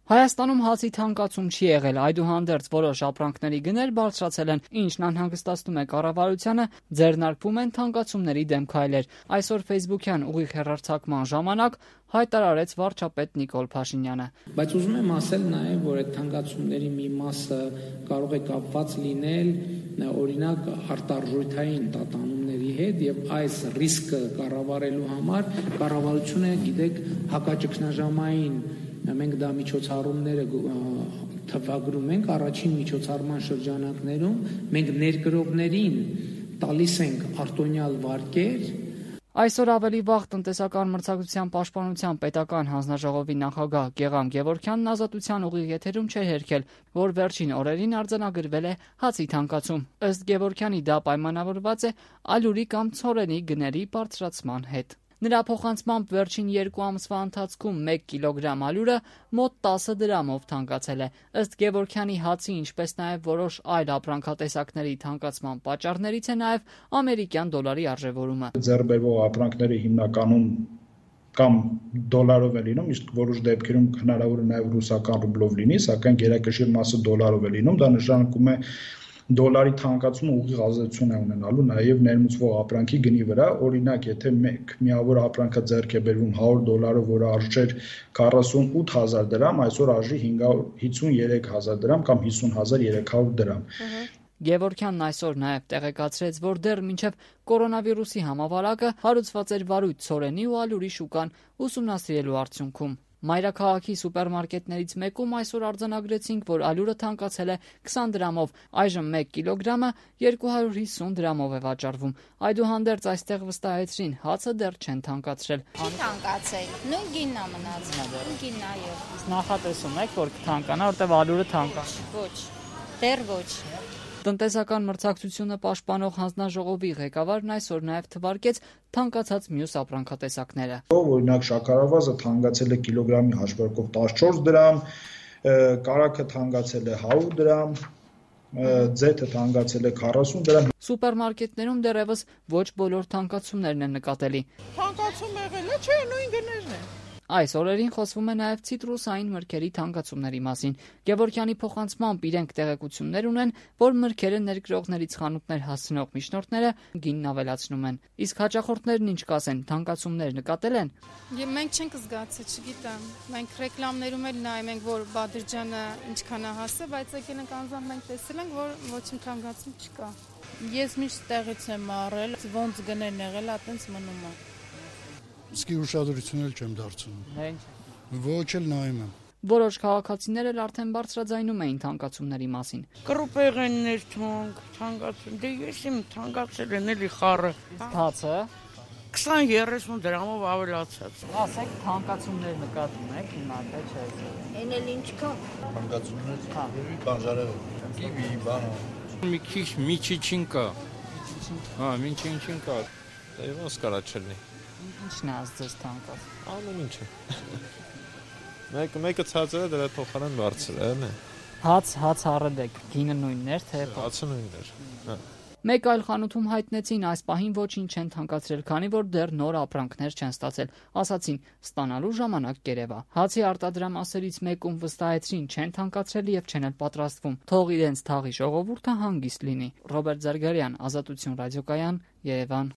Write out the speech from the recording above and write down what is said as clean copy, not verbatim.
Հայաստանում հացի թանկացում չի եղել, այդուհանդերձ որոշ ապրանքների գներ բարձրացել են, ինչն անհանգստացնում է կառավարությանը, ձեռնարկվում են թանկացումների դեմ քայլեր։ Այսօր Facebook-յան ուղիղ հեռարձակման ժամանակ հայտարարեց վարչապետ Նիկոլ Փաշինյանը։ Բայց ուզում եմ ասել նաև, որ այդ թանկացումների մի մասը կարող է կապված լինել օրինակ արտարժութային տատանումների հետ եւ այս ռիսկը կառավարելու համար կառավարությունը, գիտեք, հակաճգնաժամային մենք դա միջոցառումները թվագրում ենք առաջին միջոցառման շրջանակներում մենք ներկրողներին տալիս ենք արտոնյալ վարկեր։ Այսօր ավելի վաղ տնտեսական մրցակցության պաշտպանության պետական հանձնաժողովի նախագահ Գեղամ Գևորգյանն Ազատության ուղիղ եթերում չէր հերքել, որ վերջին օրերին արձանագրվել է հացի թանկացում։ Ըստ Գևորգյանի դա պայմանավորված է ալյուրի կամ ցորենի գների բարձրացման հետ։ Նրա փոխանցմամբ վերջին 2 ամսվա ընթացքում 1 կիլոգրամ ալյուրը մոտ 10 դրամով թանկացել է։ Ըստ Գևորգյանի հացի, ինչպես նաև որոշ այլ ապրանքատեսակների թանկացման պատճառներից է նաև ամերիկյան դոլարի արժևորումը։ Ձեռբերվող ապրանքները հիմնականում կամ դոլարով է լինում, իսկ որոշ դեպքերում հնարավոր է նաև ռուսական ռուբլով լինի, սակայն գերակշիռ մասը դոլարով է լինում, դա նշանակում է դոլարի թանկացումը ուղիղ ազդեցություն է ունենալու նաև ներմուծվող ապրանքի գնի վրա, օրինակ, եթե մեկ միավոր ապրանքը ձեռք է բերվում $100, որը արժեր 48,000 դրամ, այսօր արժի 53,000 դրամ կամ 50,300 դրամ։ Գևորգյանն այսօր նաև տեղեկացրեց, որ դեռ մինչև կորոնավիրուսի համավարակը հարուցված էր վարույթ ցորենի ու ալյուրի շուկան ուսումնասիրելու արդյունքում։ Մայրաքաղաքի սուպերմարկետներից մեկում այսօր արձանագրեցինք, որ ալյուրը թանկացել է 20 դրամով, այժմ 1 կիլոգրամը 250 դրամով է վաճառվում։ Այդուհանդերձ այստեղ վստահեցրին, հացը դեռ չեն թանկացրել։ Չի թանկացել, նույն գինն է մնացել, նույն գինն այո։ Նախատեսում եք, որ կթանկանա, որտեղ ալյուրը թանկա։ Ոչ, դեռ ոչ։ Տնտեսական մրցակցությունը պաշտպանող հանձնաժողովի ղեկավարն այսօր նաև թվարկեց թանկացած մյուս ապրանքատեսակները։ Օրինակ շաքարավազը թանկացել է կիլոգրամի հաշվարկով 14 դրամ, կարագը թանկացել է 100 դրամ, ձեթը թանկացել է 40 դրամ։ Սուպերմարկետներում դեռևս ոչ բոլոր թանկացումներն են նկատելի։ Թանկացում եղել է, չէ, նույն գներն են։ Այս օրերին խոսվում է նաև ցիտրուսային մրգերի թանկացումների մասին։ Գևորգյանի փոխանցմամբ իրենք տեղեկություններ ունեն, որ մրգերը ներկրողներից խանութներ հասցնող միջնորդները գինն ավելացնում են։ Իսկ հաճախորդներն ինչ կասեն, թանկացումներ նկատել են։ Մենք չենք զգացել, չգիտեմ։ Մենք ռեկլամներում էլ նայում ենք, որ Բադրջյանը ինչքան է հասել, բայց եկել ենք անձամբ մենք տեսել ենք, որ ոչինչ թանկացում չկա։ Ես միշտ տեղից եմ առել, ոնց գներն եղել, այտենց մնում է։ Իսկ ուշադրություն էլ չեմ դարձնում։ Ոչ էլ նայում եմ։ Որոշ քաղաքացիներ էլ արդեն բարձրաձայնում էին թանկացումների մասին։ Կրուպեղեններ թանկացում, դե ես իմ թանկացել են էլի խառը։ Հացը 20-30 դրամով ավելացած։ Ասեք թանկացումներ նկատում եք հիմա, թե չէ։ Էն էլ ինչ կա։ Թանկացումներ, բանջարեղեն, կիվի, բանան։ Մի քիչ միջիչին կա։ Հա, միջիչին կա։ Դա ոնց կարա չլինի։ Ինչն է ազդեց թանկաց։ Ամեն ինչը։ Մեկը ցածր է, դրա փոխարեն բարձր է, né։ Հաց առել եք, գինը նույնն էր, թե հացը նույնն էր։ Հա։ Մեկ այլ խանութում հայտնեցին այս պահին ոչինչ չեն թանկացրել, քանի որ դեռ նոր ապրանքներ չեն ստացել։ Ասացին, ստանալու ժամանակ կերևա։ Հացի արտադրամասերից մեկում վստահեցրին, չեն թանկացրել եւ չեն էլ պատրաստվում։ Թող իրենց թաղի ժողովուրդը հանգիստ լինի։ Ռոբերտ Զարգարյան, Ազատություն ռադիոկայան, Երևան։